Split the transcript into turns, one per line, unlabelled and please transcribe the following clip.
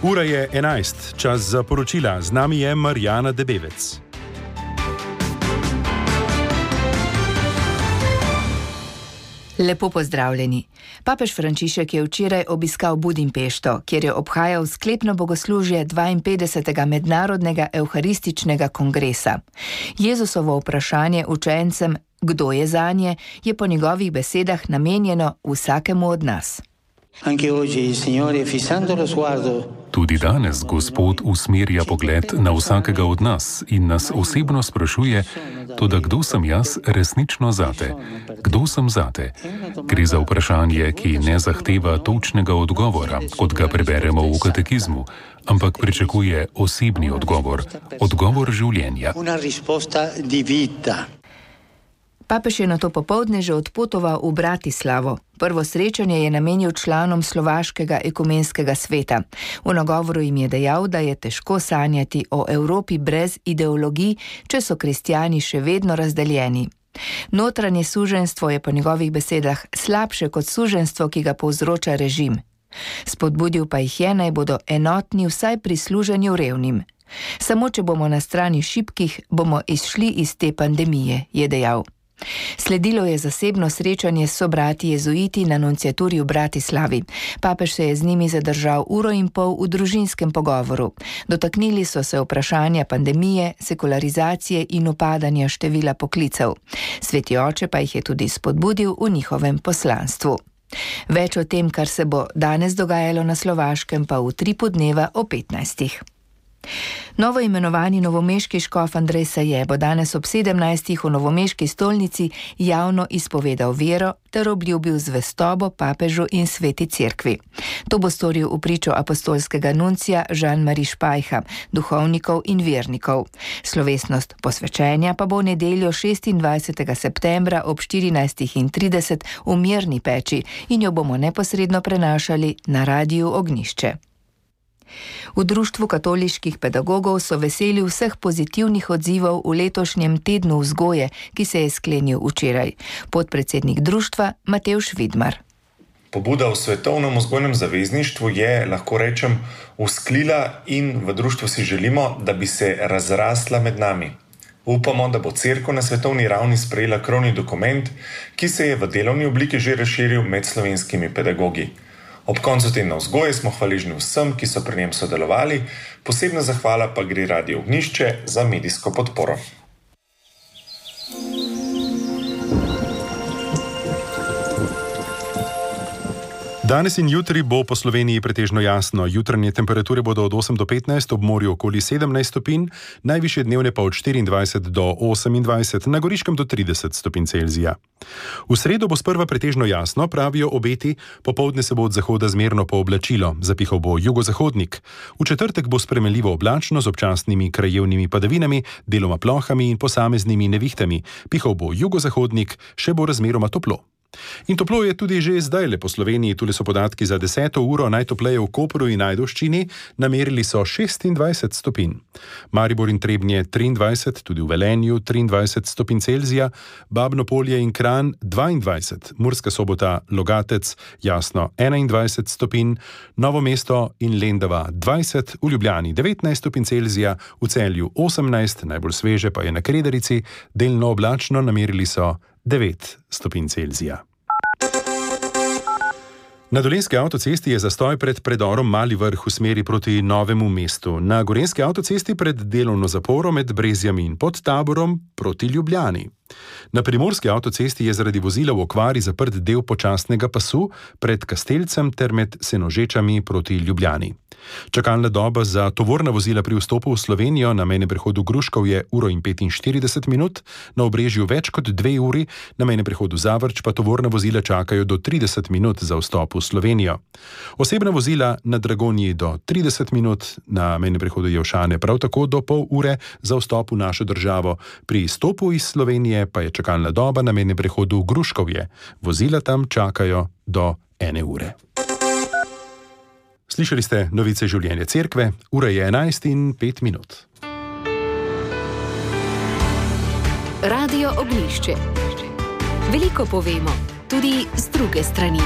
Ura je 11, čas za poročila. Z nami je Marjana Debevec.
Lepo pozdravljeni. Papež Frančišek je včeraj obiskal Budimpešto, kjer je obhajal sklepno bogoslužje 52. mednarodnega evharističnega kongresa. Jezusovo vprašanje učencem, kdo je zanje, je po njegovih besedah namenjeno vsakemu od nas.
Tudi danes Gospod usmerja pogled na vsakega od nas in nas osebno sprašuje, toda kdo sem jaz resnično zate? Kdo sem zate? Gre za vprašanje, ki ne zahteva točnega odgovora, kot ga preberemo v katekizmu, ampak pričakuje osebni odgovor, odgovor življenja.
Papež je nato popoldne že odpotoval v Bratislavo. Prvo srečanje je namenil članom Slovaškega ekumenskega sveta. V nagovoru jim je dejal, da je težko sanjati o Evropi brez ideologij, če so kristjani še vedno razdeljeni. Notranje suženjstvo je po njegovih besedah slabše kot suženjstvo, ki ga povzroča režim. Spodbudil pa jih je, naj bodo enotni vsaj pri služenju revnim. Samo če bomo na strani šibkih, bomo izšli iz te pandemije, je dejal. Sledilo je zasebno srečanje s sobrati jezuiti na nunciaturi v Bratislavi. Papež se je z njimi zadržal 1,5 ure v družinskem pogovoru. Dotaknili so se vprašanja pandemije, sekularizacije in upadanja števila poklicev. Sveti oče pa jih je tudi spodbudil v njihovem poslanstvu. Več o tem, kar se bo danes dogajalo na Slovaškem, pa v Tripu dneva o 15. Novo imenovani novomeški škof Andrej Saje bo danes ob 17. v novomeški stolnici javno izpovedal vero ter obljubil zvestobo papežu in sveti cerkvi. To bo storil v pričo apostolskega nuncija Jean-Marie Špajha, duhovnikov in vernikov. Slovesnost posvečenja pa bo v nedeljo 26. septembra ob 14:30 v Mirni peči in jo bomo neposredno prenašali na Radiu Ognjišče. V Društvu katoliških pedagogov so veseli vseh pozitivnih odzivov v letošnjem tednu vzgoje, ki se je sklenil včeraj. Podpredsednik društva Matevž Vidmar.
Pobuda v Svetovnem vzgojnem zavezništvu je, lahko rečem, vzklila in v društvu si želimo, da bi se razrasla med nami. Upamo, da bo cerkev na svetovni ravni sprejela krovni dokument, ki se je v delovni obliki že razširil med slovenskimi pedagogi. Ob koncu tedna vzgoje smo hvaležni vsem, ki so pri njem sodelovali, posebna zahvala pa gre Radiu Ognjišče za medijsko podporo.
Danes in jutri bo po Sloveniji pretežno jasno. Jutranje temperature bodo od 8 do 15, ob morju okoli 17 stopinj, najvišje dnevne pa od 24 do 28, na Goriškem do 30 stopinj Celzija. V sredo bo sprva pretežno jasno, pravijo obeti, popoldne se bo od zahoda zmerno pooblačilo, zapihal bo jugozahodnik. V četrtek bo spremenljivo oblačno z občasnimi krajevnimi padavinami, deloma plohami in posameznimi nevihtami. Pihal bo jugozahodnik, še bo razmeroma toplo. In toplo je tudi že zdaj po Sloveniji. Tule so podatki za 10. uro, najtopleje v Kopru in Ajdovščini, namerili so 26 stopinj. Maribor in Trebnje 23, tudi v Velenju 23 stopinj Celzija, Babno Polje in Kranj 22, Murska Sobota, Logatec, Jasno 21 stopinj, Novo mesto in Lendava 20, v Ljubljani 19 stopinj Celzija, v Celju 18, najbolj sveže pa je na Kredarici, delno oblačno, namerili so 9 stopinj Celzija. Na Dolenjski avtocesti je zastoj pred predorom Mali Vrh v smeri proti Novemu mestu. Na Gorenjski avtocesti pred delovno zaporo med Brezjami in Podtaborom proti Ljubljani. Na Primorski avtocesti je zaradi vozila v okvari zaprt del počasnega pasu pred Kastelcem ter med Senožečami proti Ljubljani. Čakalna doba za tovorna vozila pri vstopu v Slovenijo na mejnem prehodu Gruškov je 1:45 minut, na Obrežju več kot 2 uri, na mejnem prehodu Zavrč pa tovorna vozila čakajo do 30 minut za vstop v Slovenijo. Osebna vozila na Dragonji do 30 minut, na mejnem prehodu Jelšane prav tako do pol ure za vstop v našo državo. Pri izstopu iz Slovenije pa je čakalna doba na mejnem prehodu Gruškovje. Vozila tam čakajo do 1 ure. Slišali ste novice življenja cerkve, ura je 11:05.
Radio Ognjišče. Veliko povemo, tudi z druge strani.